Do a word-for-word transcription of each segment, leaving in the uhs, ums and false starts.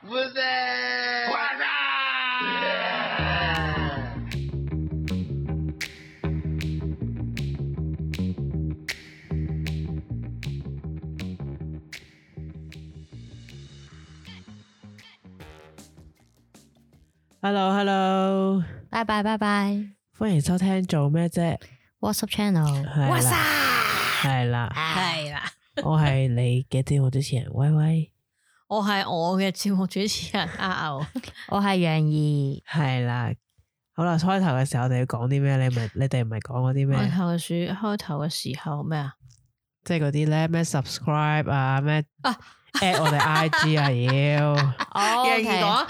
Hello Hello，拜拜拜拜，歡迎收聽做咩啫 WhatsApp channel，WhatsApp 係啦係啦，我係你嘅節目主持人威威，我係我嘅節目主持人阿牛，我係楊怡，係啦。好啦，開頭嘅時候我哋要講啲咩？你咪你哋唔係講嗰啲咩？開頭嘅時開頭嘅時候咩啊？即係嗰啲咧咩 subscribe 啊咩啊 at 我哋 I G 啊要楊怡講，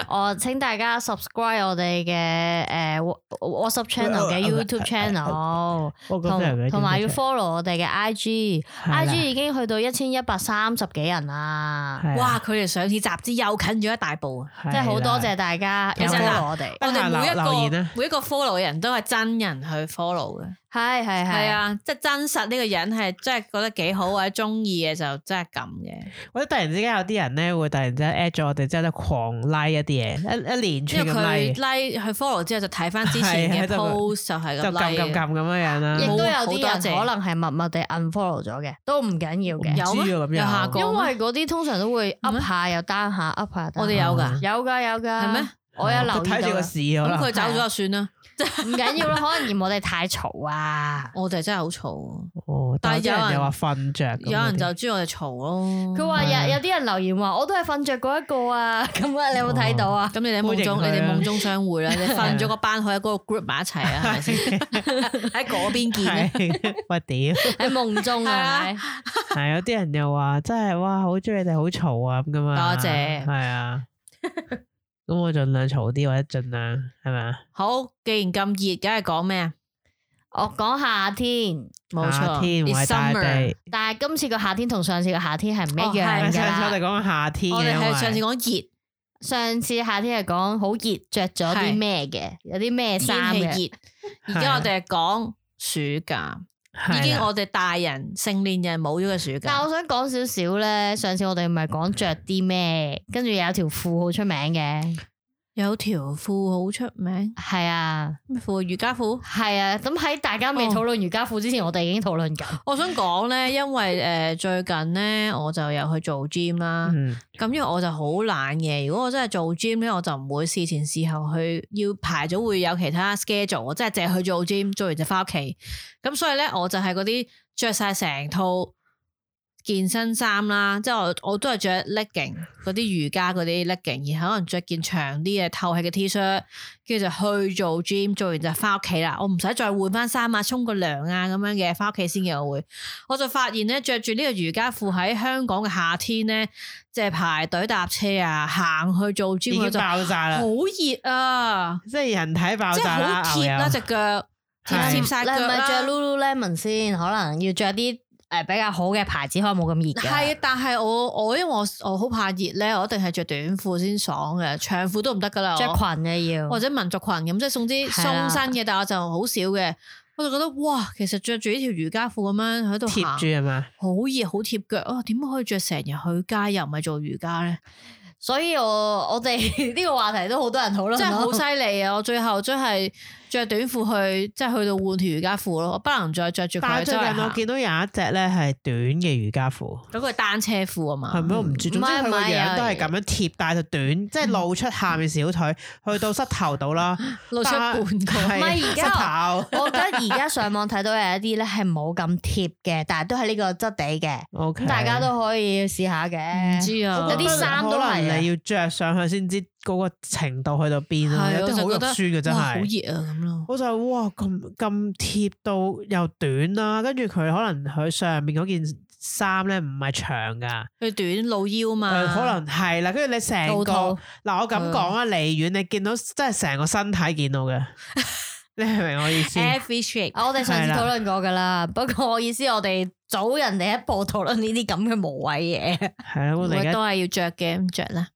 我請大家 subscribe 我哋嘅誒 WhatsApp channel 嘅 YouTube channel，同同埋要 follow 我哋嘅 I G，I G 已經去到一千一百三十幾人啦。哇！佢哋上次集資又近咗一大步啊！即係好多謝大家有 follow 我哋。我哋每一留言個每一個 follow 嘅人都係真人去 follow 嘅。係係係啊，即係真實呢個人係真係覺得幾好或者中意嘅就真係咁嘅。或者突然之間有啲人咧會突然之間 at 咗我哋之後咧狂 like 一啲嘢，一一連串咁 like， like 去 follow 之後就睇翻之前嘅 post 就係咁 like，就撳撳撳咁樣樣啦。亦都有啲人可能係默默地 unfollow 咗嘅，都唔緊要嘅。有咩？有下個？因為嗰啲通常都會 up 下又 down 下 up 下。我哋有噶，有噶有噶。係咩？我有留意到。睇住個市咁佢走咗就算啦。唔緊要啦，可能嫌我哋太嘈啊！我哋真係好嘈。哦，但係有人又話瞓着，有人就知我哋嘈咯。佢話有有啲人留言話，我都係瞓着嗰一個啊！咁啊，你有冇睇到啊？咁你哋夢中，你哋夢中相會啦！你瞓咗個班可以喺嗰個 group 埋一齊啊？係咪先？喺嗰邊見咧？喂屌！喺夢中啊？係有啲人又話真係哇，好中意你哋好嘈啊咁噶嘛？多謝。係啊。咁我盡量嘈啲或者盡量係咪啊？好，既然咁熱，梗係講咩啊？我講夏天，冇錯，夏天唔係大地。但係今次個夏天同上次個夏天係唔一樣噶啦。上次我哋講夏天，我哋係上次講熱，上次夏天係講好熱，着咗啲咩嘅，有啲咩衫嘅。熱，而家我哋係講暑假。已經我哋大人成年人冇咗個暑假，但係我想講少少咧。上次我哋唔係講着啲咩，跟住有條褲好出名嘅，有條褲好出名，係啊，咩褲？瑜伽褲，係啊。咁喺大家未討論瑜伽褲之前，哦、我哋已經討論緊。我想講咧，因為誒、呃、最近咧我就有去做 gym 啦，咁、嗯、因為我就好懶嘅。如果我真係做 gym 咧，我就唔會事前事後去要排咗會有其他 schedule，我真係淨係去做 gym，做完就翻屋企。咁所以咧，我就係嗰啲着晒成套健身衫啦，即係我我都係着 legging 嗰啲瑜伽嗰啲 legging，然後可能着件長啲嘅透氣嘅 T-shirt， 跟住就去做 gym， 做完就翻屋企啦。我唔使再換翻衫啊，沖個涼啊咁樣嘅，翻屋企先嘅我會。我就發現咧，着住呢個瑜伽褲喺香港嘅夏天咧，即係排隊搭車啊，行去做 gym 已經爆炸啦，好熱啊！即係人體爆炸啦，即係好貼啦隻腳。貼貼晒腳啦！你係咪着 Lululemon 先？可能要着啲誒比較好嘅牌子，可能冇咁熱嘅。係，但係我我因為我我好怕熱咧，我一定係着短褲先爽嘅，長褲都唔得噶啦。着裙嘅要，或者民族裙咁，即係送啲鬆身嘅，但係我就好少嘅。我就覺得哇，其實着住呢條瑜伽褲咁樣喺度貼住係嘛，好熱好貼腳啊！點可以着成日去街又唔係做瑜伽咧？所以我我哋呢個話題都好多人討論，真係好犀利啊！我最後真係着短褲去，即係去到換條瑜伽褲咯，我不能再着住佢。但係最近我見到有一隻咧係短嘅瑜伽褲，嗰個係單車褲啊嘛，係咪我唔知，總之佢個樣都係咁樣貼，但係就短，即係露出下面小腿，去到膝頭度啦，露出半個。唔係而家，我覺得而家上網睇到有一啲咧係冇咁貼嘅，但係都係呢個質地嘅，咁大家都可以試下嘅。唔知啊，有啲衫都係你要着上去先知嗰個程度去到邊啊，有啲好肉酸嘅真係，好熱啊咁咯。我就哇咁咁貼到又短啦，跟住佢可能佢上面嗰件衫咧唔係長噶，佢短露腰嘛，呃、可能係啦。跟住你成個嗱，我咁講啊，離遠你見到真係成個身體見到嘅。你明唔明我意思？我哋上次討論過噶啦，不過我意思我哋早人哋一步討論呢啲咁嘅無謂嘢。係啦，我哋都係要着嘅，咁着啦。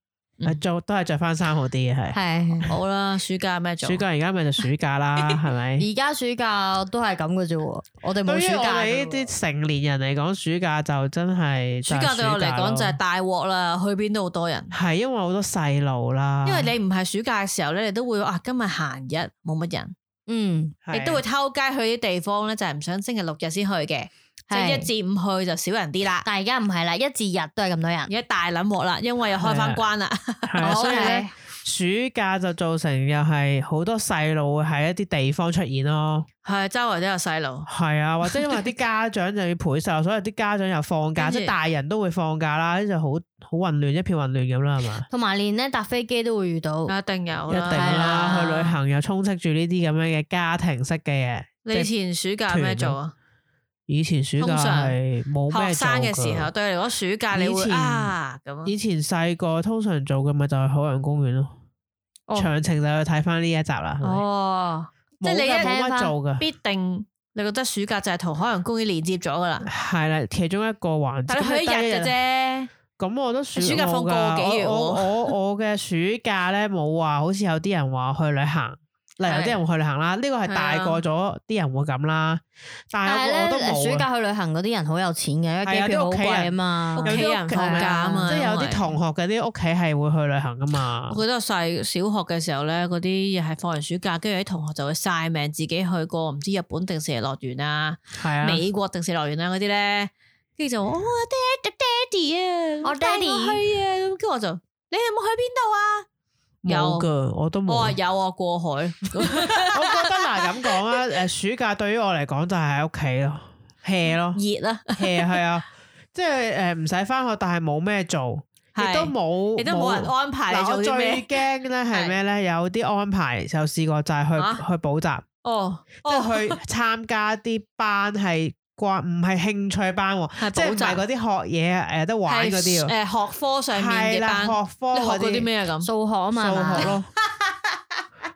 做都係着翻衫好啲嘅係。係好啦，暑假咩做？暑假而家咪就暑假啦，係咪？而家暑假都係咁嘅啫，我哋冇對於我暑假。哋呢啲成年人嚟講，暑假就真係暑假對我嚟講就係大鑊啦，去邊都好多人。係因為好多細路啦。因為你唔係暑假嘅時候咧，你都會啊今日閒日冇乜人，嗯，亦都會偷街去啲地方咧，就係唔想星期六日先去嘅。即係一至五去就少人啲啦，但係而家唔係啦，一至日都係咁多人，而家大撚鑊啦，因為又開翻關啦，所以咧暑假就造成又係好多細路會喺一啲地方出現咯，係周圍都有細路，係啊，或者因為啲家長就要陪細路，所以啲家長又放假，即係大人都會放假啦，就好好混亂，一片混亂咁啦，係嘛？同埋連咧搭飛機都會遇到，一定有，一定啦，去旅行又充斥住呢啲咁樣嘅家庭式嘅嘢。你以前暑假咩做啊？以前暑假係冇咩做嘅。學生嘅時候，對你嚟講暑假你會啊咁。以前細個通常做嘅咪就係海洋公園咯。詳情就去睇翻呢一集啦。哦，即係你冇乜做嘅，必定你覺得暑假就係同海洋公園連接咗噶啦。係啦，其中一個環節。但係去一日嘅啫。咁我都暑暑假放個幾月。我我我嘅暑假咧冇話，好似有啲人話去旅行。例如有啲人會去旅行啦，呢個係大個咗啲人會咁啦。但係我都冇。暑假去旅行嗰啲人好有錢嘅，因為機票好貴啊嘛，屋企人放假啊嘛。即係有啲同學嘅啲屋企係會去旅行噶嘛。我記得我細小學嘅時候咧，嗰啲又係放完暑假，跟住啲同學就會晒命自己去過唔知日本迪士尼樂園啊，美國迪士尼樂園啊嗰啲咧，跟住就哦爹爹哋啊，我爹哋去啊，跟住我就你有冇去邊度啊？有噶，我都冇。我話有啊，過海。我覺得嗱咁講啊，誒，暑假對於我嚟講就係喺屋企咯 ，hea 咯，熱啦 hea 係啊，即係誒唔使翻學，但係冇咩做，亦都冇，亦都冇人安排你做啲咩。我最驚咧係咩咧？有啲安排就試過就係去去補習，哦，即係去參加啲班係。掛唔係興趣班，即係唔係嗰啲學嘢誒得玩嗰啲，誒學科上面嘅班，學科你學嗰啲咩啊咁？數學啊嘛，數學咯，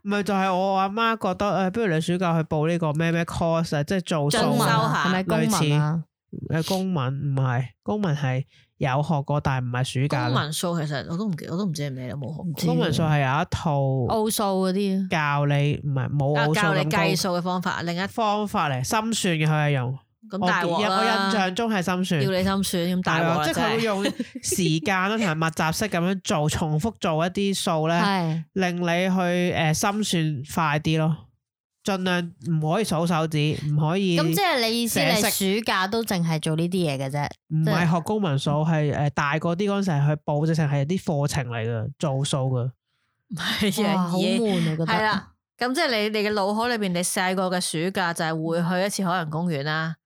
咪就係我阿媽覺得誒，不如你暑假去報呢個咩咩 course 啊，即係做數學係咪公民啊？誒，公民唔係，公民係有學過，但係唔係暑假。公民數其實我都唔記，我都唔知係咩，冇學。公民數係有一套奧數嗰啲，教你唔係冇奧數咁教你計數嘅方法，另一方法嚟心算嘅佢係用。咁大鑊啦！我印象中係心算，要你心算咁大鑊，即係佢會用時間啦，同埋密集式咁樣做，重複做一啲數咧，令你去誒心算快啲咯。盡量唔可以數手指，唔可以。咁即係你意思，你暑假都淨係做呢啲嘢嘅啫？唔係學公民數，係誒大個啲嗰陣時去報，直情係啲課程嚟嘅，做數嘅。係啊，好悶啊！覺得係啦。咁即係你你嘅腦海裏邊，你細個嘅暑假就係會去一次海洋公園啦。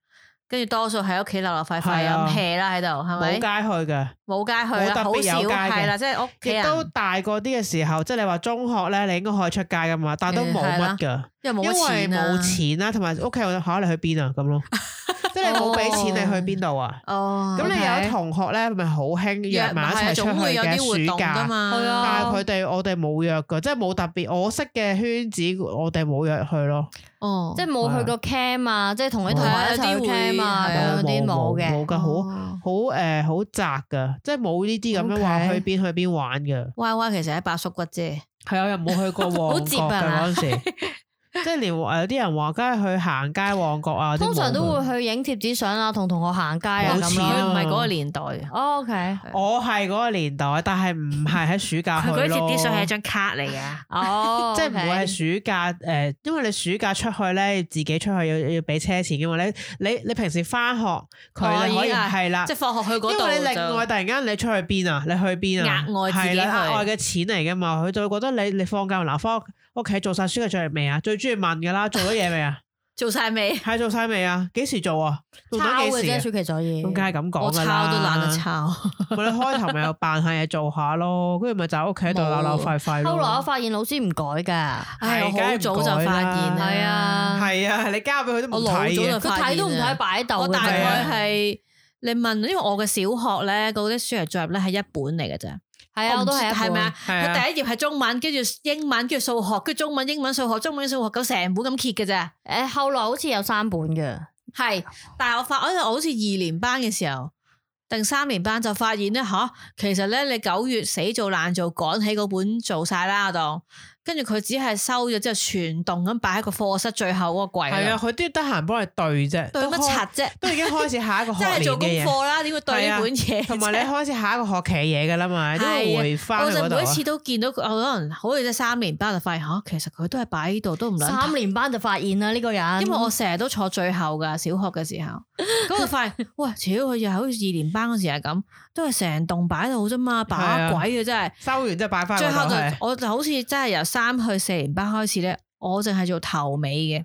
跟住多數喺屋企流流快快咁 hea 啦喺度，係咪？冇街去嘅，冇街去啦，好少係啦，即係屋企人。亦都大個啲嘅時候，即係你話中學咧，你應該可以出街噶嘛，但係都冇乜噶，因為冇錢啦，同埋屋企人考你去邊啊咁咯。即係你冇俾錢，你去邊度啊？哦，咁你有同學咧，咪好興約埋一齊出去嘅暑假噶嘛？但係佢哋我哋冇約噶，即係冇特別。我識嘅圈子，我哋冇約去咯。哦，即係冇去過 camp 啊，即係同啲同學一齊去 camp 啊，咁啲冇嘅，冇噶，好好誒，好窄噶，即係冇呢啲咁樣話去邊去邊玩噶。Y Y 其實喺八叔骨啫，係啊，又冇去過旺角嘅嗰陣時。即係連有啲人話，梗係去行街旺角啊！通常都會去影貼紙相啊，同同學行街啊咁咯。唔係嗰個年代嘅。O K，我係嗰個年代，但係唔係喺暑假去咯。佢嗰貼紙相係一張卡嚟嘅。哦，即係唔會係暑假誒，因為你暑假出去咧，自己出去要要俾車錢嘅嘛。你你你平時翻學佢可以係啦，即係放學去嗰度。因為你另外突然間你出去邊啊？你去邊啊？額外自己去。係啦，額外嘅錢嚟噶嘛？佢就會覺得你你放假嗱翻屋企做晒暑假作業未啊？最中意問噶啦，做咗嘢未啊？做晒未？係做晒未啊？幾時做啊？做咗幾時啊？暑期作業咁梗係咁講噶啦。我抄都懶得抄。我哋開頭咪有扮下嘢做下咯，跟住咪就喺屋企度扭扭快快咯。後來我發現老師唔改噶，係我好早就發現，係啊，係啊，你交俾佢都冇睇嘅，佢睇都唔睇擺喺度。我大概係你問，因為我嘅小學咧，嗰啲暑期作業咧係一本嚟嘅啫。係啊，我都係係咪啊？佢第一頁係中文，跟住英文，跟住數學，跟住中文、英文、數學、中文、數學，咁成本咁揭嘅啫。誒，後來好似有三本嘅，係，但係我發，我好似二年班嘅時候，定三年班就發現咧吓、啊，其實咧你九月死做爛做趕起嗰本做晒啦，我當。跟住佢只係收咗之後全棟咁擺喺個課室最後嗰個櫃。係啊，佢都要得閒幫你對啫。對乜柒啫？都已經開始下一個學年嘅嘢。即係做功課啦，點會對呢本嘢？同埋你開始下一個學期嘢噶啦嘛，都會回翻去嗰度。我就每一次都見到佢，可能好似即係三年班就發現吓、啊，其實佢都係擺喺度，都唔諗。三年班就發現啦呢個人，因為我成日都坐最後噶，小學嘅時候，咁就發現，喂，超佢又好似二年班嗰時係咁，都係成棟擺喺度啫嘛，把鬼嘅真係。收完之後擺翻。最後就我就好似真係由三去四年班開始咧，我淨係做頭尾嘅，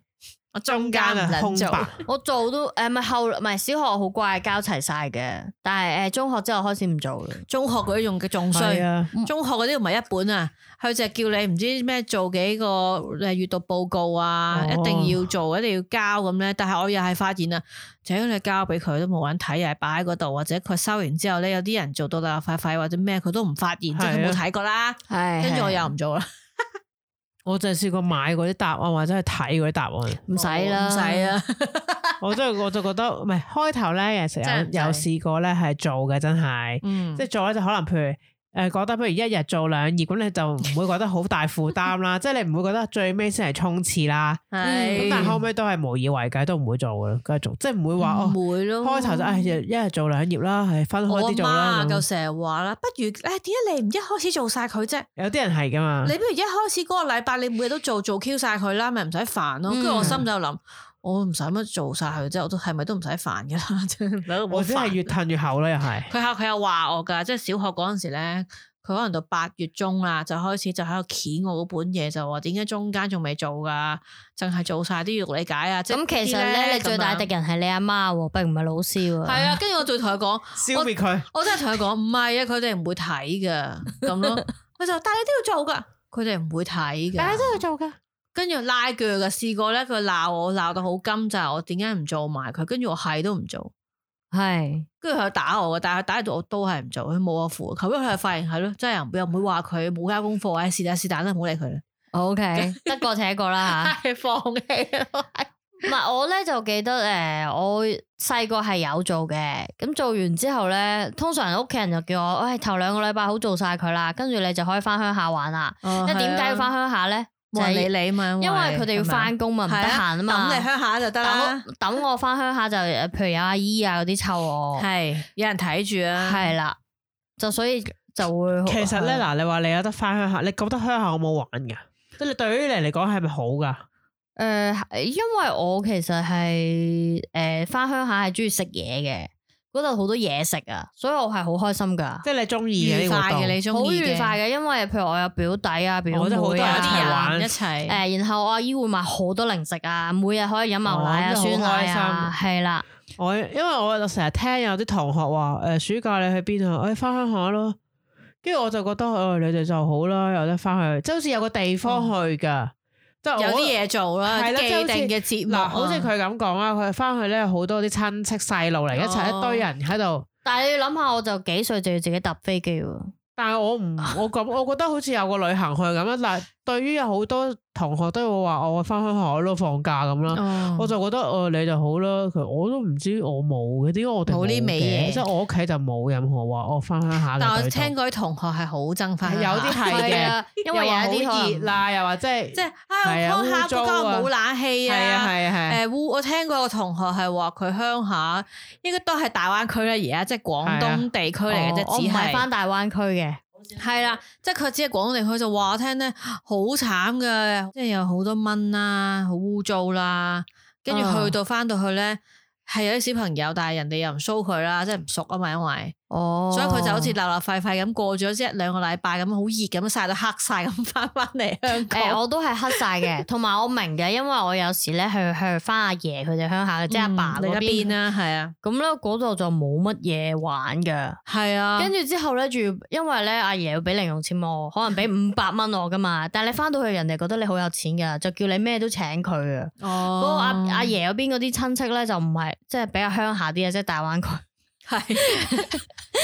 我中間唔能做。我做都誒，唔係後唔係小學好乖，交齊晒嘅。但係誒中學之後開始唔做啦。中學嗰啲用嘅仲衰，啊、中學嗰啲唔係一本啊，佢就係叫你唔知咩做幾個誒閱讀報告啊，哦、一定要做，一定要交咁咧。但係我又係發現啊，就係你交俾佢都冇人睇，又係擺喺嗰度，或者佢收完之後咧，有啲人做到啦快快或者咩，佢都唔發現，即係佢冇睇過啦。係，跟住我又唔做啦。我就係試過買嗰啲答案或者係睇嗰啲答案，唔使啦，唔使啦。我真係我就覺得唔係開頭咧，有時有有試過咧係做嘅，真係，嗯、即係做咧就可能譬如。誒，覺得不如一日做兩頁，咁你就唔會覺得好大負擔啦。即係你唔會覺得最尾先係衝刺啦。係咁，但係後尾都係無以為繼，都唔會做噶啦，繼續即係唔會話哦。唔會咯。開頭就誒一日做兩頁啦，係分開啲做啦。我阿媽就成日話啦，不如誒點解你唔一開始做晒佢啫？有啲人係噶嘛。你不如一開始嗰個禮拜你每日都做做 Q 晒佢啦，咪唔使煩咯。跟住我心就諗。我唔使乜做晒佢，即係我都係咪都唔使煩噶啦？我真係越褪越後啦，又係。佢又佢又話我噶，即係小學嗰陣時咧，佢可能到八月中啦，就開始就喺度鉗我嗰本嘢，就話點解中間仲未做噶？淨係做晒啲要理解啊！咁其實咧，你最大敵人係你阿媽，並唔係老師。係啊，跟住我仲同佢講，消滅佢。我真係同佢講，唔係啊，佢哋唔會睇噶，咁咯。佢就但係你都要做噶，佢哋唔會睇噶，但係都要做噶。跟住拉鋸嘅，試過咧，佢鬧我鬧到好金，就係我點解唔做埋佢？跟住我係都唔做，係，跟住佢打我嘅，但係佢打到我都係唔做，佢冇我符。後尾佢係發現係咯，真係又唔會話佢冇交功課，唉，是但是但啦，唔好理佢啦。O K，得過且過啦吓，放棄。唔係我咧就記得誒，我細個係有做嘅，咁做完之後咧，通常屋企人就叫我，喂，頭兩個禮拜好做晒佢啦，跟住你就可以翻鄉下玩啦。因為點解要翻鄉下咧？就係理你嘛，因為佢哋要翻工嘛，唔得閒啊嘛。等你鄉下就得啦。等我翻鄉下就，譬如有阿姨啊嗰啲湊我，係有人睇住啊。係啦，就所以就會。其實咧，嗱，你話你有得翻鄉下，你覺得鄉下好冇玩噶？即係對於你嚟講係咪好噶？誒，因為我其實係誒翻鄉下係中意食嘢嘅。嗰度好多嘢食啊，所以我係好開心噶。即係你中意嘅，愉快嘅，你中意嘅，好愉快嘅。因為譬如我有表弟啊、表妹啊，好多人一齊玩一齊。誒，然後我阿姨會買好多零食啊，每日可以飲牛奶啊、酸奶啊，係啦。我因為我成日聽有啲同學話，誒，暑假你去邊啊？我翻鄉下咯。跟住我就覺得，誒，你哋就好啦，有得翻去，即係好似有個地方去噶。即係有啲嘢做啦，既定嘅節目。嗱，好似佢咁講啦，佢翻去咧好多啲親戚細路嚟一齊，一堆人喺度。但係你要諗下，我就幾歲就要自己搭飛機喎。但係我唔，我咁，我覺得好似有個旅行去咁樣。但係對於有好多同學都會話我翻鄉下咯，放假咁啦。哦、我就覺得誒、呃、你就好啦。其實我都唔知我冇嘅，點解我哋冇呢味嘢？即係我屋企就冇任何話我翻鄉下嘅。但我聽嗰啲同學係好憎翻，有啲係嘅，因為有啲好熱啦，又話即係即係啊鄉下嗰間冇冷氣啊，係啊係啊係。誒烏，我聽過個同學係話佢鄉下應該都係大灣區啦，而家即係廣東地區嚟嘅啫，只係翻大灣區嘅。係啦，即係佢只係廣東地區就話我聽咧，好慘噶，即係有好多蚊啦，好污糟啦，跟住去到翻到去咧，係有啲小朋友，但係人哋又唔騷佢啦，即係唔熟啊嘛，因為哦，所以佢就好似流流廢廢咁過咗一兩個禮拜咁，好熱咁曬到黑晒咁翻翻嚟香港。誒，我都係黑晒嘅，同埋我明嘅，因為我有時咧去去翻阿爺佢哋鄉下，即係阿爸嗰邊啦，係啊，咁咧嗰度就冇乜嘢玩噶，係啊，跟住之後咧，仲因為咧阿爺要俾零用錢我，可能俾五百蚊我噶嘛，但係你翻到去人哋覺得你好有錢噶，就叫你咩都請佢啊。哦，不過阿阿爺嗰邊嗰啲親戚咧就唔係，即係比較鄉下啲啊，即係大灣區。係，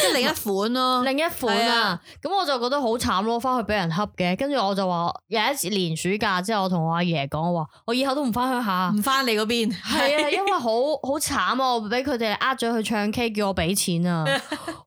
即係另一款咯，另一款啊。咁我就覺得好慘咯，翻去俾人恰嘅。跟住我就話有一次年暑假之後，我同我阿爺講，我話我以後都唔翻鄉下，唔翻你嗰邊。係啊，因為好好慘啊，我俾佢哋呃咗去唱 K，叫我俾錢啊。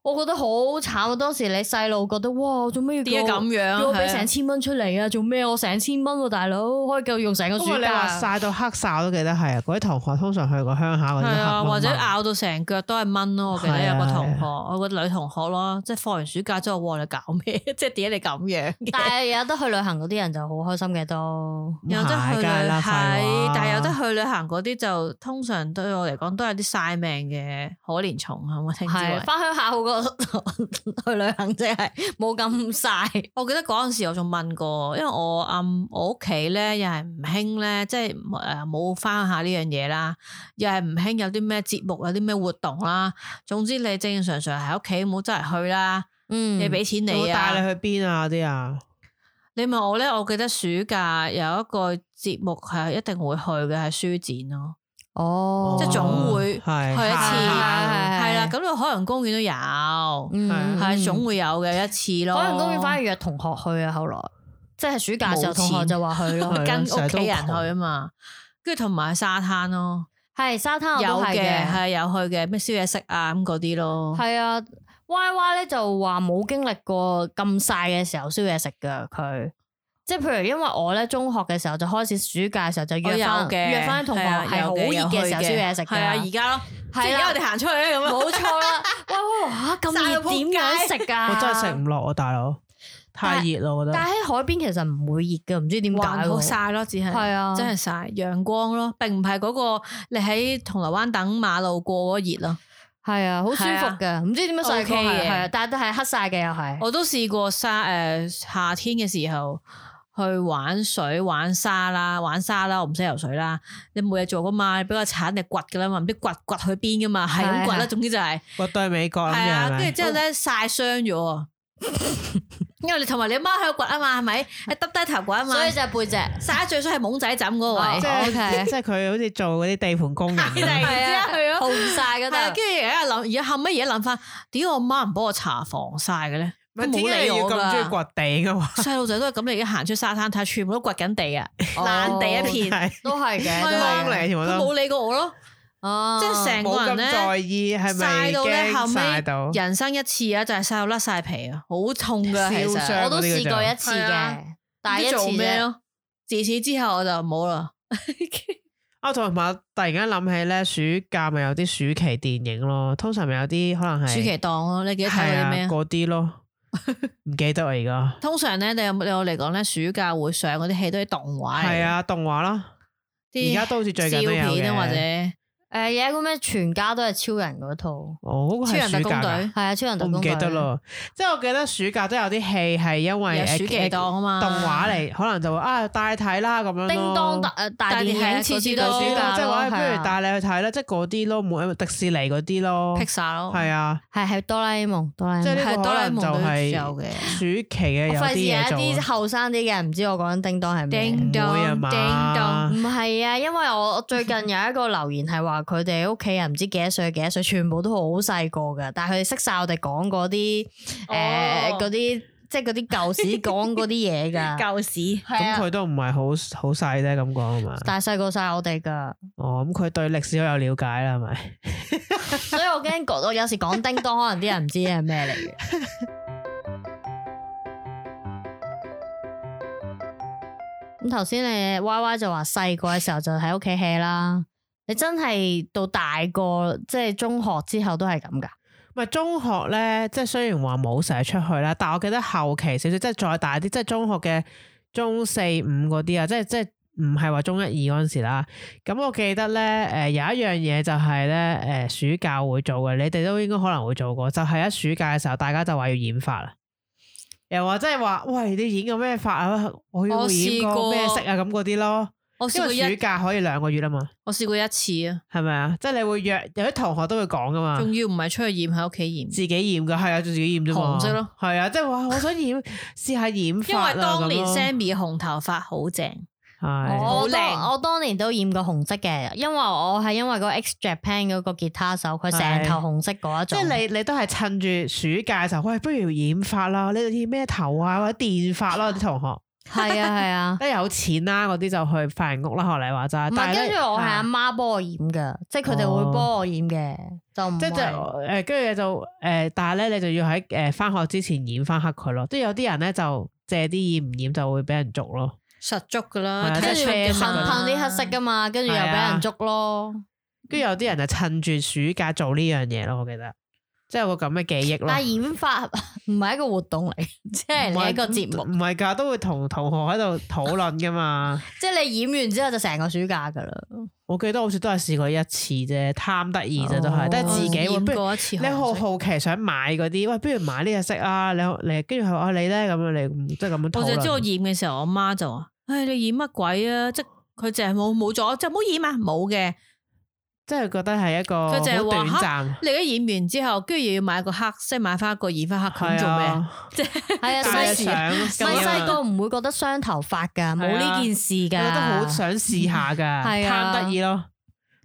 我覺得好慘啊！當時你細路覺得哇，做咩要點解咁樣？叫我俾成千蚊出嚟啊？做咩？我成千蚊喎，大佬可以夠用成個暑假。你話曬到黑晒，我都記得係啊！嗰啲同學通常去過鄉下嗰啲黑蚊蚊，或者咬到成腳都係蚊咯。我記得有個同學，我個女同學咯，即係放完暑假之後，哇！你搞咩？即係點解你咁樣？但係有得去旅行嗰啲人就好開心嘅都，有得去旅係，但係有得去旅行嗰啲就通常對我嚟講都有啲曬命嘅可憐蟲係咪？係翻鄉下好過去旅行，即係冇咁曬。我記得嗰陣時我仲問過，因為我阿、嗯、我屋企咧又係唔興咧，即係誒冇翻鄉下呢樣嘢啦，又係唔興有啲咩節目，有啲咩活動啦。總之你正常常喺屋企冇周圍去啦。嗯，你俾錢你啊，帶你去邊啊啲啊？你問我咧，我記得暑假有一個節目係一定會去嘅，係書展咯。哦，即係總會去一次，係啦。咁個海洋公園都有，係總會有嘅一次咯。海洋公園反而約同學去啊，後來即係暑假時候同學就話去咯，跟屋企人去啊嘛。跟住同埋沙灘咯，係沙灘有嘅，係有去嘅，咩燒嘢食啊咁嗰啲咯。係啊。Y Y 咧就話冇經歷過咁曬嘅時候燒嘢食噶佢，即係譬如因為我咧中學嘅時候就開始暑假嘅時候就約翻約翻同學係好熱嘅時候燒嘢食嘅，係啊而家咯，係而家我哋行出去咁啊，冇錯啦。喂喂哇咁熱點樣食啊？我真係食唔落啊大佬，太熱咯我覺得。但係喺海邊其實唔會熱嘅，唔知點解。好曬咯，只係係啊，真係曬陽光咯，並唔係嗰個你喺銅鑼灣等馬路過嗰熱咯。係啊，好舒服嘅，唔知點樣曬過嘅，係啊，但係都係黑晒嘅又係。我都試過沙誒夏天嘅時候去玩水玩沙啦，玩沙啦，我唔識游水啦。你冇嘢做噶嘛，你俾個鏟你掘噶啦嘛，唔知掘掘去邊噶嘛，係咁掘啦。總之就係掘到去美國啦。係啊，跟住之後咧曬傷咗。因為你同埋你阿媽喺度掘啊嘛，係咪？你耷低頭掘啊嘛，所以就係背脊曬最衰係懵仔枕嗰個位，即係即係佢好似做嗰啲地盤工人，係啊，係啊，紅晒嗰度。跟住而家諗，而家後尾而家諗翻，點解我媽唔幫我搽防曬嘅咧？冇理我咁中意掘地噶嘛？細路仔都係咁，你而家行出沙灘睇，全部都掘緊地啊，爛地一片，都係嘅，荒嚟全部都冇理過我咯。哦，即係成個人咧在意係咪曬到咧，後尾到人生一次啊，就係曬到甩晒皮啊，好痛噶，其實我都試過一次嘅，但係一次咩咯？自此之後我就冇啦。啊，同埋突然間諗起咧，暑假咪有啲暑期電影咯，通常咪有啲可能係暑期檔咯，你記得睇嗰啲咩？嗰啲咯，唔記得啊而家。通常咧，你有你有嚟講咧，暑假會上嗰啲戲都係動畫嚟。係啊，動畫啦，而家都好似最近都有嘅，或者。誒，有一個咩全家都係超人嗰套，哦，嗰個係暑假㗎，係啊，超人特工隊，我唔記得咯。即係我記得暑假都有啲戲係因為暑期檔啊嘛，動畫嚟，可能就會啊帶你睇啦咁樣咯。叮當大誒大電影次次都暑假，即係話不如帶你去睇啦，即係嗰啲咯，冇迪士尼嗰啲咯，Pixar咯，係啊，係係哆啦 A 夢，哆啦 A 夢，即係呢個可能就係暑期嘅有啲嘢做。費事有啲後生啲嘅人唔知我講緊叮當係咩？叮當，叮當，唔係啊，因為我最近有一個留言係話佢哋屋企。唔知幾多歲幾多歲，全部都好細個噶，但係佢哋識晒我哋講嗰啲誒嗰啲，即係嗰啲舊時講嗰啲嘢噶。舊史咁佢都唔係好好細啫，咁講係嘛？但係細過晒我哋噶。哦，咁佢對歷史好有了解啦，係咪？所以我驚講，我有時講叮當，可能啲人唔知係咩嚟嘅。咁頭先你 Y Y 就話細個嘅時候就喺屋企 hea 啦。你真係到大個，即係中學之後都係咁噶？唔係中學咧，即係雖然話冇成日出去啦，但係我記得後期少少，即係再大啲，即係中學嘅中四五嗰啲啊，即係即係唔係話中一二嗰陣時啦。咁我記得咧，誒、呃、有一樣嘢就係咧，誒、呃、暑假會做嘅，你哋都應該可能會做過，就係、是、一暑假嘅時候，大家就話要染髮啦，又話即係話，喂，你染個咩髮啊？我要染個咩色啊？咁嗰啲咯。我試過暑假可以兩個月啊嘛，我試過一次啊，係咪啊？即係你會約有啲同學都會講噶嘛，仲要唔係出去染喺屋企染，自己染噶，係啊，自己染啫嘛，紅色咯，係啊，即係話我想染試下染髮，因為當年 Sammy 嘅紅頭髮好正，我當我當年都染過紅色嘅，因為我係因為嗰 X Japan 嗰個吉他手，佢成頭紅色嗰一種。即係你你都係趁住暑假嘅時候，喂，不如染髮啦，你染咩頭啊，或者電髮啦，啲同學。係啊係啊，一有錢啦，嗰啲就去髮型屋啦，學你話齋。唔係，跟住我係阿媽幫我染噶，即係佢哋會幫我染嘅，就唔即係誒，跟住就誒，但係咧你就要喺誒翻學之前染翻黑佢咯。即係有啲人咧就借啲染唔染就會俾人捉咯，實捉噶啦，跟住噴噴啲黑色噶嘛，跟住又俾人捉咯。跟住有啲人就趁住暑假做呢樣嘢咯，我記得。即係有個咁嘅記憶咯。但係染髮唔係一個活動嚟，即係你一個節目。唔係㗎，都會同同學喺度討論㗎嘛。即係你染完之後就成個暑假㗎啦。我記得好似都係試過一次啫，貪得意啫都係，都係自己染過一次。你好好奇想買嗰啲，喂，不如買呢隻色啊！你你跟住佢話你咧咁樣，你即係咁樣討論。我就知我染嘅時候，我媽就話：唉，你染乜鬼啊？即係佢淨係冇冇咗，就唔好染啊！冇嘅。即係覺得係一個好短暫。你而家染完之後，跟住又要買個黑，即係買翻一個染翻黑佢做咩？即係係啊，細細細個唔會覺得傷頭髮噶，冇呢件事噶，我覺得好想試下噶，貪得意咯。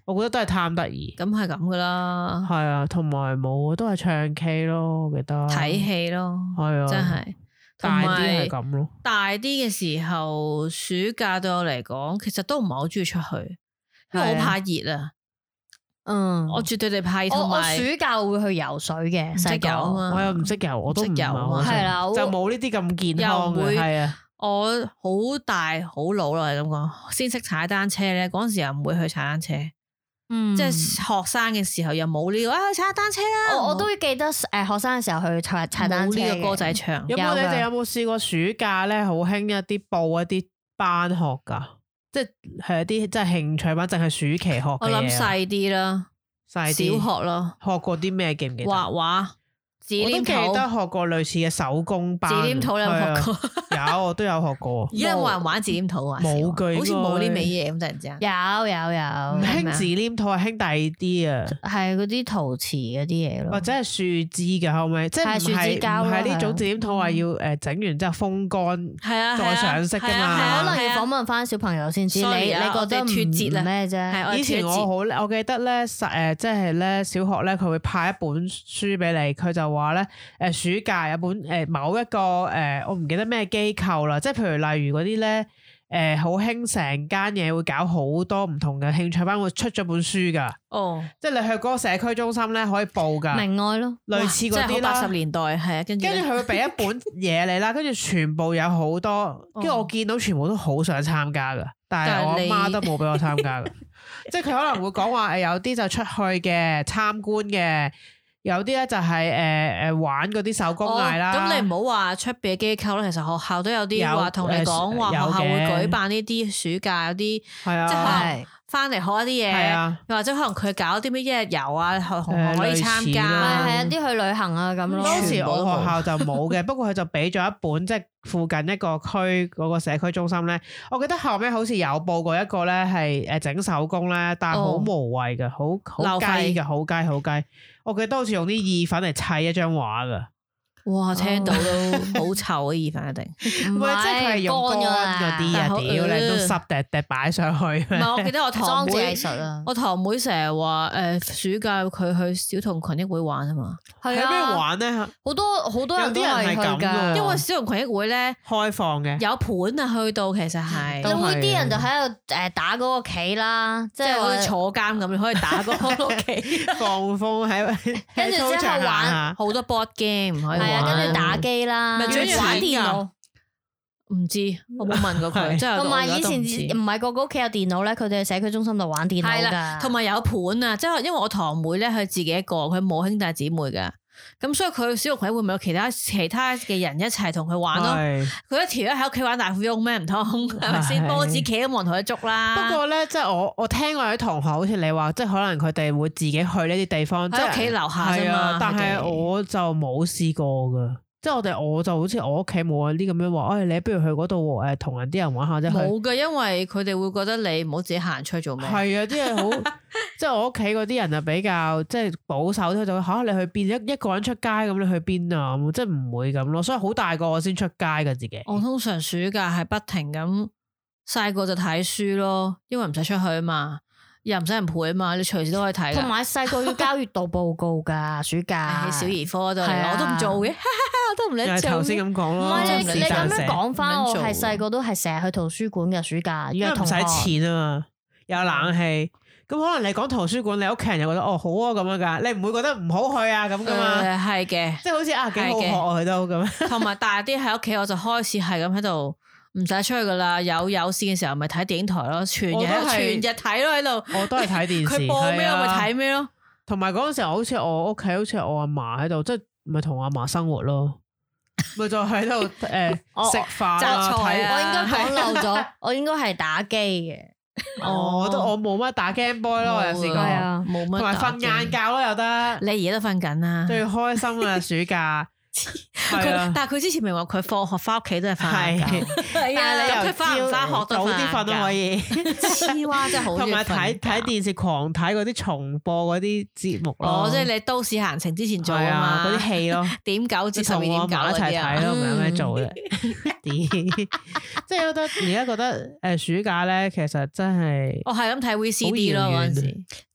我覺得都係貪得意。咁係咁噶啦。係啊，同埋冇都係唱 K 咯，我記得睇戲咯，係啊，真係大啲係咁咯。大啲嘅時候，暑假對我嚟講，其實都唔係好中意出去，因為我怕熱啊。嗯，我絕對地怕，同埋我暑假會去游水嘅，識游啊嘛，我又唔識游，我都唔游啊，係啦，就冇呢啲咁健康嘅，係啊，我好大好老啦，係咁講，先識踩單車咧，嗰陣時又唔會去踩單車，嗯，即係學生嘅時候又冇呢個啊，去踩單車啦，我我都記得誒，學生嘅時候去踩踩單車，冇呢個歌仔唱，有冇你哋有冇試過暑假咧？好興一啲報一啲班學噶？即係一啲即係興趣班，淨係暑期學嘅嘢。我諗細啲啦，小學咯。學過啲咩？記唔記得？畫畫。我都記得學過類似嘅手工班。紙黏土你有學過？有，我都有學過。而家有冇人玩紙黏土啊？冇句，好似冇呢味嘢咁，突然之間。有有有。唔興紙黏土，係興第二啲啊。係嗰啲陶瓷嗰啲嘢咯。或者係樹枝嘅後尾，即係唔係唔係呢種紙黏土話要誒整完之後風乾，係啊，再上色噶嘛。可能要訪問翻小朋友先知。你你覺得脫節啦咩啫？以前我好，我記得咧，誒，即係咧，小學咧，佢會派一本書俾你，佢就話咧，誒。暑假有本誒某一個誒，我唔記得咩機構啦，即係譬如例如嗰啲咧，誒好興成間嘢會搞好多唔同嘅興趣班，會出咗本書噶。哦，即係你去嗰個社區中心咧可以報噶。明愛咯，類似嗰啲啦。八十年代係啊，跟住跟住佢會俾一本嘢你啦，跟住全部有好多，跟住我見到全部都好想參加噶，但係我阿媽都冇俾我參加噶。即係佢可能會講話誒，有啲就出去嘅參觀嘅。有啲咧就係誒誒玩嗰啲手工藝啦。咁你唔好話出邊嘅機構啦，其實學校都有啲話同你講話，學校會舉辦呢啲暑假有啲，即係翻嚟學一啲嘢，又或者可能佢搞啲咩一日遊啊，同學可以參加，係啊，啲去旅行啊咁咯。當時我學校就冇嘅，不過佢就俾咗一本，即係附近一個區嗰個社區中心咧。我記得後尾好似有報過一個咧係誒整手工咧，但係好無謂嘅，好好雞嘅，好雞好雞。我記得好似用啲意粉嚟砌一張畫噶，哇！聽到都好臭啊！意粉一定，唔係即係佢係用乾嗰啲啊，屌你都濕滴滴擺上去。唔係，我記得我堂妹，啊、我堂妹成日話誒，暑假佢去小童群益會玩啊嘛。係啊，咩玩咧？好多好多人都係咁噶，因為小童群益會咧開放嘅，有盤啊，去到其實係，就會啲人就喺度誒打嗰個棋啦，即係好似坐監咁，可以打嗰個棋，放風喺，跟住之後玩好多 board game 可以玩，跟住打機啦，咪主要玩電腦。唔知，我冇問過佢。即係同埋以前唔係個個屋企有電腦咧，佢哋喺社區中心度玩電腦噶。同埋有盤啊，即係因為我堂妹咧，佢自己一個，佢冇兄弟姊妹噶，咁所以佢小學會唔會有其他其他嘅人一齊同佢玩咯？佢一條咧喺屋企玩大富翁咩唔通係咪先？波子棋都冇人同佢捉啦。不過咧，即係我我聽過有啲同學好似你話，即係可能佢哋會自己去呢啲地方，即係屋企樓下啫嘛。但係我就冇試過噶。即係我哋，我就好似我屋企冇啲咁樣話，哎，你不如去嗰度誒，同人啲人玩下啫。冇㗎，因為佢哋會覺得你唔好自己行出去做咩。係啊，啲係好，即係我屋企嗰啲人就比較即係保守啲，就嚇你去邊一一個人出街咁，你去邊啊？即係唔會咁咯，所以好大個我先出街㗎自己。我通常暑假係不停咁細個就睇書咯，因為唔使出去啊嘛，又唔使人陪啊嘛，你隨時都可以睇。同埋細個要交月度報告噶，暑假小兒科度嚟，我都唔做嘅，我都唔理做。頭先咁講咯，唔係你你咁樣講翻，我係細個都係成日去圖書館嘅暑假，因為唔使錢啊嘛，有冷氣。咁可能你講圖書館，你屋企人又覺得哦好啊咁樣噶，你唔會覺得唔好去啊咁噶嘛？係嘅，即係好似啊幾好學啊佢都咁。同埋大啲喺屋企，我就開始係咁喺度，唔使出去噶啦。有有線嘅時候咪睇電影台咯，全日全日睇咯喺度。我都係睇電視，佢播咩我咪睇咩咯。同埋嗰陣時候，好似我屋企好似我阿嫲喺度，即係咪同我阿嫲生活咯？咪就喺度誒食飯啊睇。我應該講漏咗，我應該係打機嘅。哦，我都我冇乜打 Game Boy 咯，我有試過，冇乜，同埋瞓晏覺咯又得。你而家都瞓緊啦，最開心啊暑假。佢但係佢之前咪話佢放學翻屋企都係瞓覺，係啊，佢翻唔翻學都早啲瞓都可以。黐蛙真係好，同埋睇睇電視狂睇嗰啲重播嗰啲節目咯。哦，即係你都市閒情之前做啊嘛，嗰啲戲咯，點九至十二點九一齊睇咯，唔係有咩做嘅。即係覺得而家覺得誒暑假咧，其實真係我係咁睇 V C D 咯嗰陣時，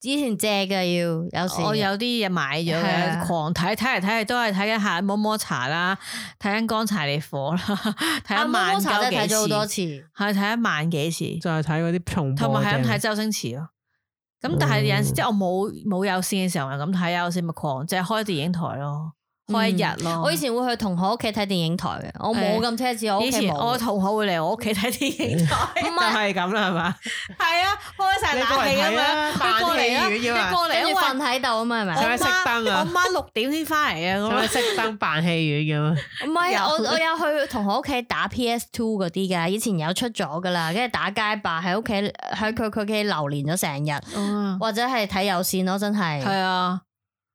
之前借嘅要有時我有啲嘢買咗嘅，狂睇睇嚟睇去都係睇緊下摸摸茶啦，睇緊乾柴烈火啦，睇一萬幾次，睇咗好多次，係睇一萬幾次，就係睇嗰啲重播，同埋係咁睇周星馳咯。咁但係有陣時即係我冇冇有線嘅時候係咁睇，有線咪狂即係開電影台咯。開一日咯！我以前會去同學屋企睇電影台嘅，我冇咁奢侈。我以前我同學會嚟我屋企睇電影台，就係咁啦，係嘛？係啊，開晒冷氣咁樣，扮戲院嘅嘛，過嚟，跟住瞓喺度啊嘛，係咪？使唔使熄燈啊？我媽六點先翻嚟啊，使唔使熄燈扮戲院嘅嘛？唔係，我我有去同學屋企打 P S Two 嗰啲噶，以前有出咗噶啦，跟住打街霸喺屋企喺佢佢屋企流連咗成日，或者係睇有線咯，真係。係啊。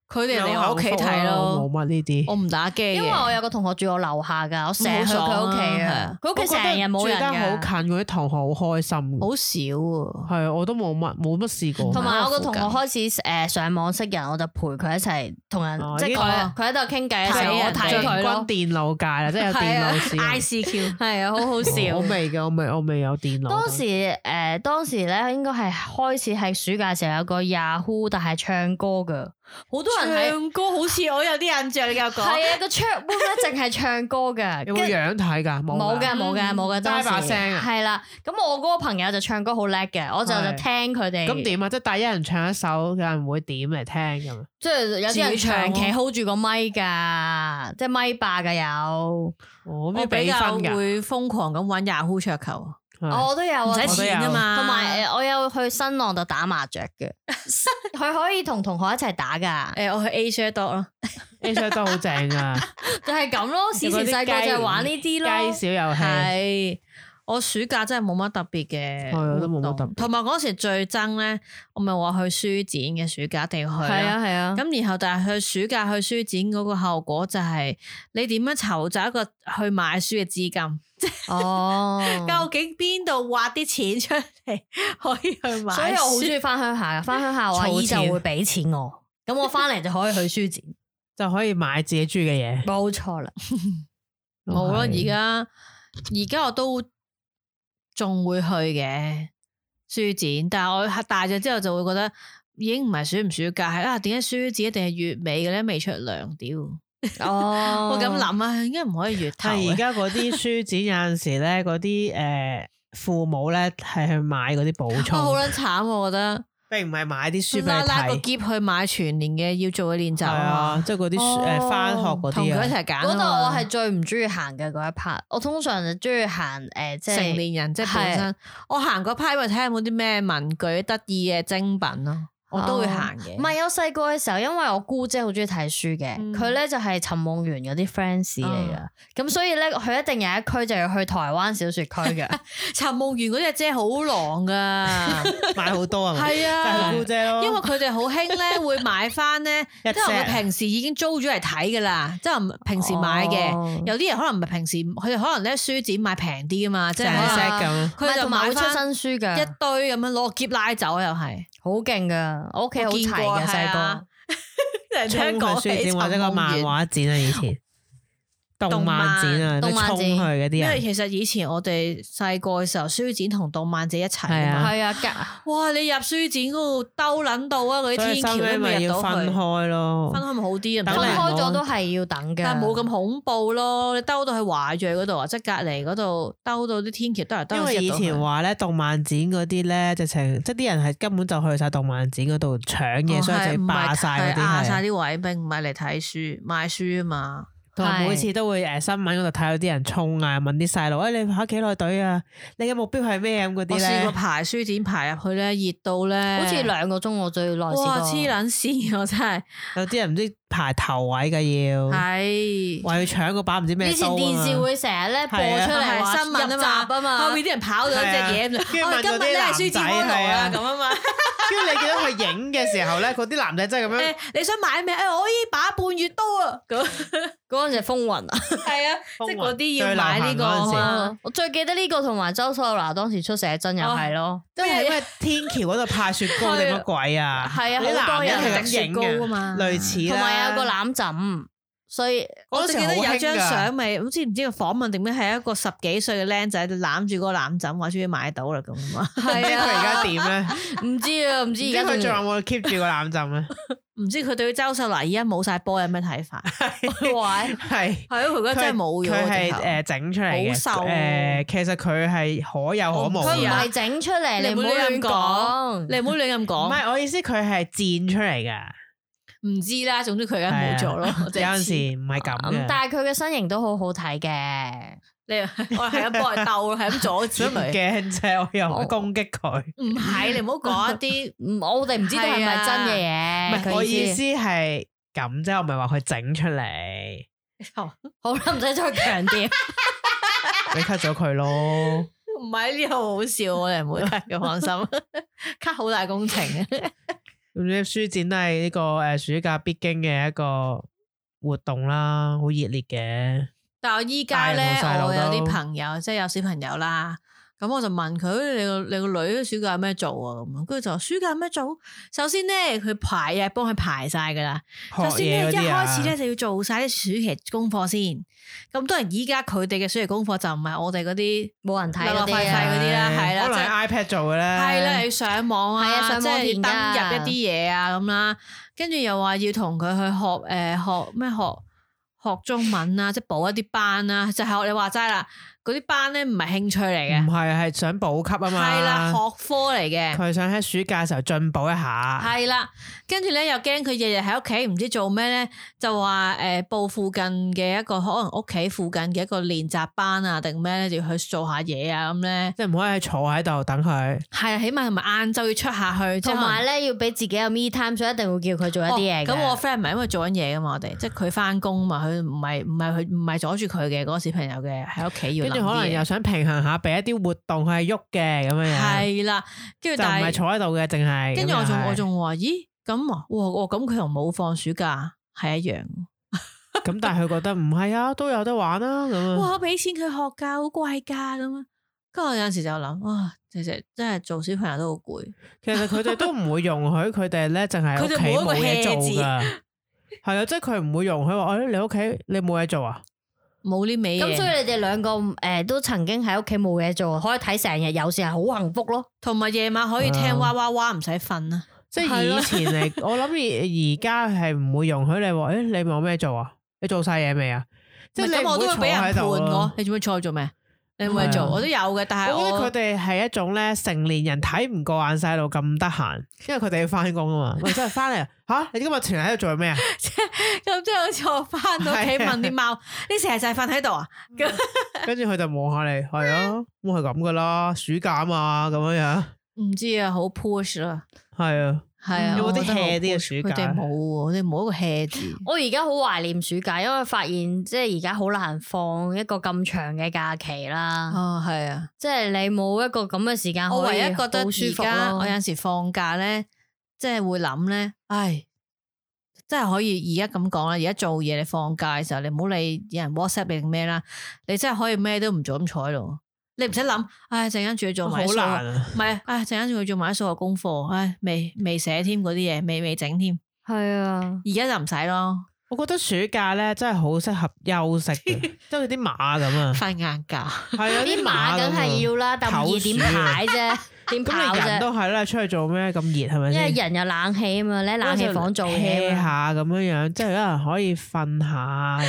佢哋嚟我屋企睇咯，冇乜呢啲。我唔打機，因為我有個同學住我樓下噶，我成日去佢屋企啊。佢屋企成日冇人嘅。住得好近，嗰啲同學好開心。好少啊，係啊，我都冇乜冇乜試過。同埋我個同學開始誒上網識人，我就陪佢一齊同人，即係佢佢喺度傾偈嘅時候，我睇佢咯。電腦界啦，即係有電腦試。I C Q 係啊，好好笑。我未嘅，我未我未有電腦。當時誒，當時咧應該係開始喺暑假嘅時候有個 Yahoo，但係唱歌噶。好多人唱歌，好似我有啲印象。你繼續講。係啊，個 chat room 咧淨係唱歌嘅。有冇樣睇噶？冇嘅，冇嘅，冇嘅。齋把聲啊。係啦，咁我嗰個朋友就唱歌好叻嘅，我就就聽佢哋。咁點啊？即係帶一人唱一首，有人會點嚟聽咁？即係有啲人長期 hold 住個咪噶，即係咪霸噶有。我比較會瘋狂咁玩 Yahoo 桌球。我都有啊，唔使錢啊嘛。同埋誒，我有去新浪度打麻雀嘅，佢可以同同學一齊打噶。誒，我去 Asia Dot 咯，Asia Dot 好正啊！就係咁咯，以前細個就係玩呢啲咯。雞小遊戲係我暑假真係冇乜特別嘅，我都冇乜特別。同埋嗰時最憎咧，我咪話去書展嘅暑假一定要去。係啊係啊。咁然後但係去暑假去書展嗰個後果就係你點樣籌集一個去買書嘅資金？哦，究竟邊度挖啲錢出嚟可以去買書？所以我好中意翻鄉下噶，翻鄉下我阿姨就會俾錢我，咁我翻嚟就可以去書展，就可以買自己中意嘅嘢。冇錯啦，冇咯。而家而家我都仲會去嘅書展，但係我大咗之後就會覺得已經唔係暑唔暑假，係啊，點解書展一定係月尾嘅咧？未出糧屌。哦，我咁諗啊，應該唔可以月頭。而家嗰啲書展有陣時咧，嗰啲誒父母咧係去買嗰啲補充，好撚慘，我覺得。並唔係買啲書俾你睇，拉個篋去買全年嘅要做嘅練習啊，即係嗰啲誒翻學嗰啲啊。同佢一齊揀。嗰度我係最唔中意行嘅嗰一 part，我通常就中意行誒，即係成年人即係本身。我行嗰 part 因為睇下有冇啲咩文具得意嘅精品咯。我都會行嘅，唔係我細個嘅時候，因為我姑姐好中意睇書嘅，佢咧、嗯、就係尋夢園嗰啲 friends 嚟噶，咁、嗯、所以咧佢一定有一區就要去台灣小說區嘅。尋夢園嗰隻姐好狼噶，買好多啊，係啊，就係姑姐咯，因為佢哋好興咧會買翻咧，即係佢平時已經租咗嚟睇噶啦，即係平時買嘅，哦、有啲人可能唔係平時，佢哋可能咧書展買平啲啊嘛，即係咁，佢就買出新書嘅一堆咁樣攞篋拉走又係。好勁噶，我屋企好齊嘅細個，衝去書展或者個漫畫展啊，以前動漫展啊，動漫展去嗰啲。因為其實以前我哋細個嘅時候，書展同動漫展一齊啊嘛。係啊，哇！你入書展嗰度兜撚到啊，嗰啲天橋都未入到去。分開咯，分開咪好啲啊？分開咗都係要等嘅，但係冇咁恐怖咯。你兜到去華裔嗰度啊，即係隔離嗰度兜到啲天橋都係兜。因為以前話咧，動漫展嗰啲咧，直情即係啲人係根本就去晒動漫展嗰度搶嘢，所以就霸晒嗰啲，霸晒啲位，並唔係嚟睇書買書啊嘛。同埋每次都會誒新聞嗰度睇到啲人衝啊，問啲細路誒你排幾耐隊啊？你嘅目標係咩咁嗰啲咧？我試過排書展排入去咧，熱到咧，好似兩個鐘我最耐試過。哇！黐撚線我真係，有啲人唔知排頭位嘅要，係話要搶個把唔知咩。以前電視會成日咧播出嚟新聞啊嘛，後面啲人跑咗隻嘢，跟住問今日咧係書展嗰度啊咁啊嘛。跟住你見到佢影嘅時候咧，嗰啲男仔真係咁樣。誒，你想買咩？誒，我依把半月刀啊！咁嗰陣時風雲啊，係啊，即係嗰啲要買呢個。我最記得呢個同埋周秀娜當時出寫真又係咯，即係因為天橋嗰度派雪糕定乜鬼啊？係啊，好多人係咁雪糕啊嘛，類似同埋有個攬枕。所以我記得有張相咪，唔知唔知個訪問定咩，係一個十幾歲嘅僆仔攬住個攬枕，話終於買到啦咁啊！係啊，佢而家點咧？唔知啊，唔知而家佢仲有冇 keep 住個攬枕咧？唔知佢對周秀娜而家冇晒波有咩睇法？係係係咯，佢而家真係冇咗。佢係誒整出嚟嘅，好瘦誒，其實佢係可有可無。佢唔係整出嚟，你唔好亂講，你唔好亂咁講。唔係我意思，佢係剪出嚟噶。唔知啦，總之佢而家冇做咯。有陣時唔係咁嘅，但係佢嘅身形都好好睇嘅。你我係咁幫佢鬥咯，係咁阻止佢。驚啫，我又唔攻擊佢。唔係，你唔好講一啲，我哋唔知道係咪真嘅嘢。唔係，我意思係咁啫，我唔係話佢整出嚟。好啦，唔使再強調。你 cut 咗佢咯。唔係呢個好笑，我哋唔會 cut 嘅，放心。cut 好大工程。咁啲書展都係呢個誒暑假必經嘅一個活動啦，好熱烈嘅。但係我依家咧，我有啲朋友即係有小朋友啦，咁我就問佢：你個你個女暑假有咩做啊？咁，跟住就話暑假有咩做？首先咧，佢排啊，幫佢排晒噶啦。首先咧，一開始咧就要做晒啲暑期功課先。咁當然依家佢哋嘅暑期功課就唔係我哋嗰啲冇人睇嗰啲啦，係啦，可能係 iPad 做嘅咧，係啦，要上網啊，即係登入一啲嘢啊咁啦，跟住又話要同佢去學誒學咩學學中文啊，即係補一啲班啊，就係學你話齋啦。嗰啲班咧唔係興趣嚟嘅，唔係係想補級啊嘛，係啦，學科嚟嘅，佢想喺暑假嘅時候進步一下，係啦，跟住咧又驚佢日日喺屋企唔知做咩咧，就話誒報附近嘅一個可能屋企附近嘅一個練習班啊定咩咧，就要去做下嘢啊咁咧，即係唔可以坐喺度等佢，係啊，起碼同埋晏晝要出下去，同埋咧要俾自己有 me time，所以一定會叫佢做一啲嘢。咁我 friend 唔係因為做緊嘢噶嘛，我哋即係佢翻工嘛，佢唔係唔係佢唔係阻住佢嘅嗰個小朋友嘅喺屋企要。跟住可能又想平衡下，俾一啲活動佢係喐嘅咁樣樣。係啦，跟住就唔係坐喺度嘅，淨係。跟住我仲我仲話，咦咁啊？哇！咁佢同冇放暑假係一樣。咁但係佢覺得唔係啊，都有得玩啊咁啊。哇！我俾錢佢學㗎，好貴㗎咁啊。跟住我有陣時就諗，哇！其實真係做小朋友都好攰。其實佢哋都唔會容許佢哋咧，淨係屋企冇嘢做㗎。係啊，即係佢唔會容許話，誒你屋企你冇嘢做啊？冇呢味嘢，咁所以你哋兩個誒、呃、都曾經喺屋企冇嘢做，可以睇成日有時係好幸福咯，同埋夜晚可以聽哇哇哇唔使瞓啊！即係以前嚟，我諗而而家係唔會容許你話，誒、欸、你冇咩做啊？你做晒嘢未啊？即係咁我都會俾人判我，你做咩坐喺做咩？你有冇嘢做？我都有嘅，但係我，我覺得佢哋係一種咧成年人睇唔過眼細路咁得閒，因為佢哋要翻工啊嘛。喂，真係翻嚟吓，你今日全日喺度做咩啊？咁即係好似我翻到屋企問啲貓，你成日就係瞓喺度啊？跟住佢就望下你，係啊，咁係咁噶啦，暑假啊嘛，咁樣樣。唔知啊，好 push 啦，係啊。係啊，有冇啲 hea 啲嘅暑假？佢哋冇喎，佢哋冇一個 hea 字。我而家好懷念暑假，因為發現即係而家好難放一個咁長嘅假期啦。哦，係啊，即係你冇一個咁嘅時間可以，我唯一覺得而家我有陣時放假咧，即係會諗咧，唉，即係可以而家咁講啦。而家做嘢你放假嘅時候，你唔好理有人 WhatsApp 你定咩啦，你真係可以咩都唔做咁坐喺度。你唔使諗，唉，陣間仲要做埋數學，唔係，唉，陣間仲要做埋數學功課，唉，未未寫添嗰啲嘢，未未整添，係啊，而家就唔使咯。我覺得暑假咧真係好適合休息嘅，即係啲馬咁啊，瞓晏覺。係啊，啲馬梗係要啦，但唔易點排啫，點跑啫？咁你人都係啦，出去做咩咁熱係咪先？因為人有冷氣啊嘛，你喺冷氣房做嘢下咁樣樣，即係有人可以瞓下，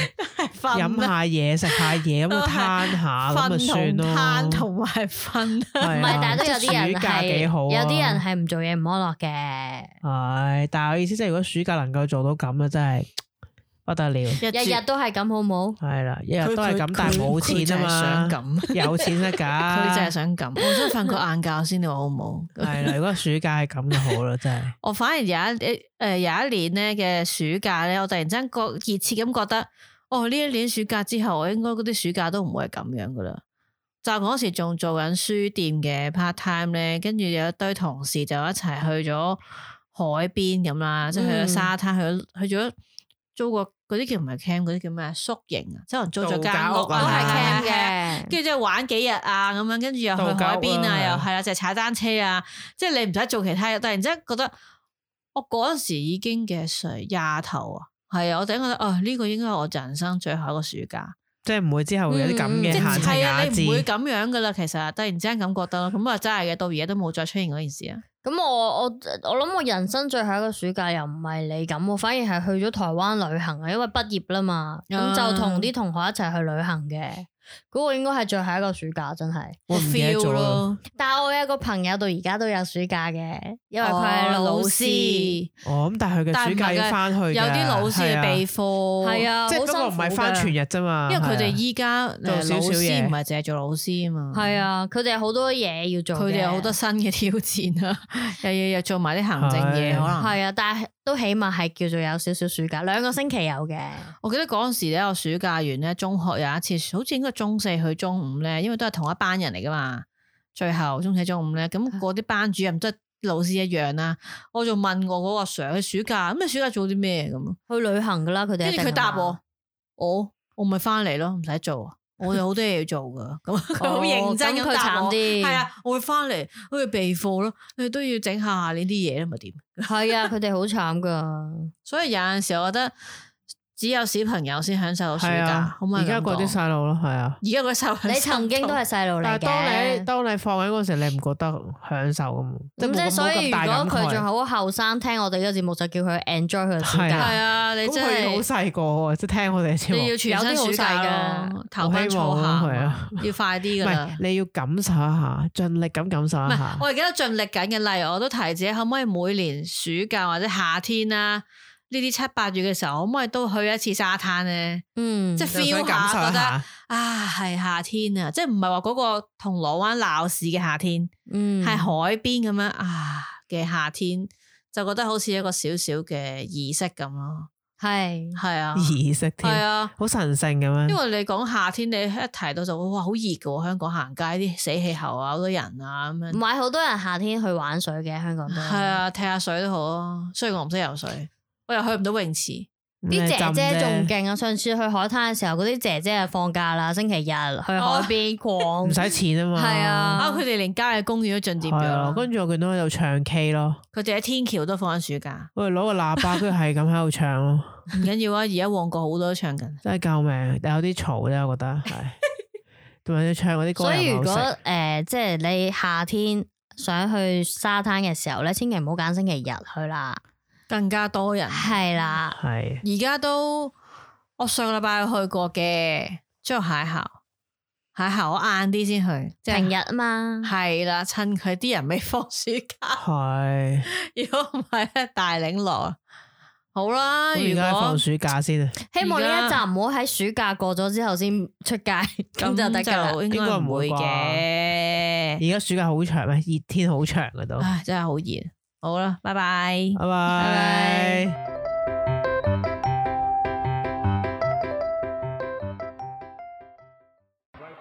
飲下嘢，食下嘢咁啊，攤下咁啊算咯。攤同埋瞓，唔係，但係都有啲人係，有啲人係唔做嘢唔安樂嘅。係，但係我意思即係如果暑假能夠做到咁啊，真係〜不得了，日日都係咁好冇？係啦，日日都係咁，但係冇錢啊嘛，想咁有錢得噶，佢真係想咁，我想瞓個晏覺先，你話好唔好？係啦，如果暑假係咁就好啦，真係。我反而有一誒、呃、有一年咧嘅暑假咧，我突然之間覺熱切咁覺得，哦呢一年暑假之後，我應該嗰啲暑假都唔會係咁樣噶啦。就嗰時仲做緊書店嘅 part time 咧，跟住有一堆同事就一齊去咗海邊咁啦，即係、嗯、去咗沙灘，去咗去咗租個。嗰啲叫唔係 camp，嗰啲叫咩宿營啊？即係可能租咗間屋都係 camp 嘅，跟住即係玩幾日啊咁樣，跟住又去海邊啊，又係啦，就係踩單車啊，即係你唔使做其他嘢。突然之間覺得我嗰陣時已經幾歲廿頭啊，係啊，我突然覺得啊呢個應該係我人生最後一個暑假，即係唔會之後會有啲咁嘅限制壓制，你唔會咁樣噶啦。其實突然之間咁覺得咯，咁啊真係嘅，到而家都冇再出現嗰件事啊。咁我我我諗我人生最後一個暑假又唔係你咁，我反而係去咗台灣旅行啊，因為畢業啦嘛，咁、啊、就同啲同學一齊去旅行嘅。嗰個應該係最後一個暑假，真係我 feel 咯。但係我有一個朋友到而家都有暑假嘅，因為佢係老師。哦，咁但係佢嘅暑假要翻去，有啲老師嘅備課，係啊，即係不過唔係翻全日啫嘛。因為佢哋依家做少少嘢，唔係淨係做老師啊嘛。係啊，佢哋有好多嘢要做，佢哋有好多新嘅挑戰啊，又要又做埋啲行政嘢，可能係啊，但係都起碼係叫做有少少暑假，兩個星期有嘅。我記得嗰陣時咧，我暑假完咧，中學有一次，好似應該中四去中五咧，因為都係同一班人嚟噶嘛。最後中四中五咧，咁嗰啲班主任都係老師一樣啦。我就問我嗰個 Sir，佢暑假咁你暑假做啲咩咁？去旅行噶啦，佢哋。跟住佢答我，我我咪翻嚟咯，唔使做。我有好多嘢要做噶，咁佢好認真咁答我。係啊，我會翻嚟，好似備課咯，佢都要整下下呢啲嘢啦，咪點？係啊，佢哋好慘噶。所以有陣時我覺得。只有小朋友先享受到暑假，而家嗰啲細路咯，係啊。而家嗰啲細路，你曾經都係細路嚟嘅。但係當你當你放緊嗰時，你唔覺得享受咁？咁即係所以，如果佢仲好後生，聽我哋呢個節目，就叫佢 enjoy 佢嘅暑假。係啊，你真係好細個，即係聽我哋節目。你要全身暑假嘅，頭班初夏，要快啲噶啦。你要感受一下，盡力咁感受一下。我而家都盡力緊嘅，例如我都提自己，可唔可以每年暑假或者夏天啊？呢啲七八月嘅時候，可唔可以都去一次沙灘咧？嗯，即係 feel 下，覺得啊係夏天啊，即係唔係話嗰個銅鑼灣鬧市嘅夏天，嗯，係海邊咁樣啊嘅夏天，就覺得好似一個少少嘅儀式咁咯。係係啊，儀式添，係啊，好神聖咁樣。因為你講夏天，你一提到就哇好熱㗎，香港行街啲死氣候啊，好多人啊咁樣。唔係好多人夏天去玩水嘅，香港都係啊，踢下水都好啊。雖然我唔識游水。我又去唔到泳池，啲姐姐仲勁啊！上次去海灘嘅時候，嗰啲姐姐就放假啦，星期日去海邊逛，唔使錢啊嘛。係啊，啊佢哋連郊野公園都進佔咗。跟住我見到喺度唱 K 咯，佢哋喺天橋都放緊暑假。我哋攞個喇叭，跟住係咁喺度唱咯。唔緊要啊，而家旺角好多都唱緊，真係救命！但有啲嘈啫，我覺得係。同埋要唱嗰啲歌。所以如果誒、呃，即係你夏天想去沙灘嘅時候咧，千祈唔好揀星期日去啦。更加多人係啦，係而家都我上個禮拜去過嘅，之後邂逅邂逅我晏啲先去，即係平日啊嘛，係啦，趁佢啲人未放暑假，係如果唔係咧大領落，好啦，而家放暑假先啊，希望呢一集唔好喺暑假過咗之後先出街，咁就得噶啦，應該唔會嘅。而家暑假好長咩？熱天好長噶都，唉，真係好熱。好啦，拜拜，拜拜。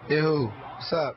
Yo, what's up?